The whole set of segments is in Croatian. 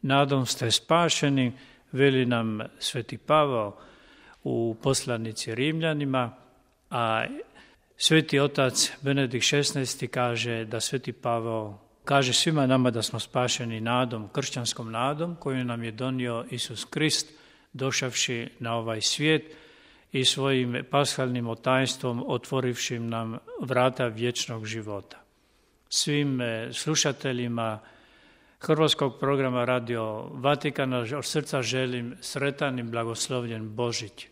nadom ste spašeni, veli nam Sveti Pavao u poslanici Rimljanima, a Sveti otac Benedikt XVI kaže da Sveti Pavao kaže svima nama da smo spašeni nadom, kršćanskom nadom koju nam je donio Isus Krist došavši na ovaj svijet i svojim pashalnim tajstvom otvorivši nam vrata vječnog života. Svim slušateljima hrvatskog programa Radio Vatikana od srca želim sretan i blagoslovljen Božić.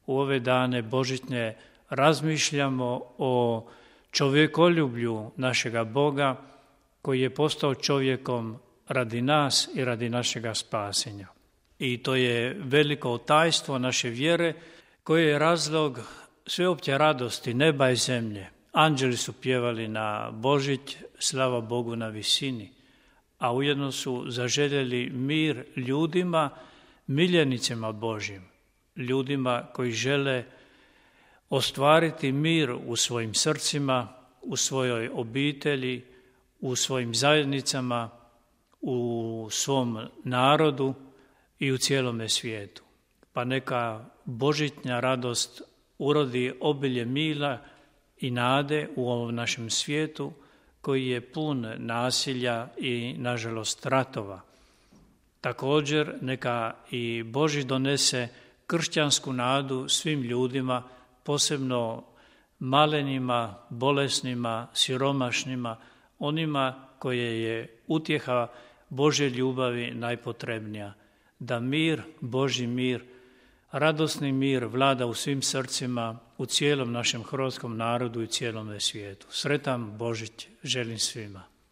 U ove dane božićne razmišljamo o čovjekoljublju našega Boga koji je postao čovjekom radi nas i radi našega spasenja. I to je veliko tajstvo naše vjere koje je razlog sveopće radosti neba i zemlje. Anđeli su pjevali na Božić, slava Bogu na visini, a ujedno su zaželjeli mir ljudima, miljenicima Božjim, ljudima koji žele ostvariti mir u svojim srcima, u svojoj obitelji, u svojim zajednicama, u svom narodu i u cijelome svijetu. Pa neka božićna radost urodi obilje mila i nade u ovom našem svijetu koji je pun nasilja i, nažalost, ratova. Također, neka i Božić donese kršćansku nadu svim ljudima, posebno malenima, bolesnima, siromašnima, onima koje je utjeha Božje ljubavi najpotrebnija. Da mir, Božji mir, radosni mir vlada u svim srcima, u cijelom našem hrvatskom narodu i cijelome svijetu. Sretan Božić želim svima.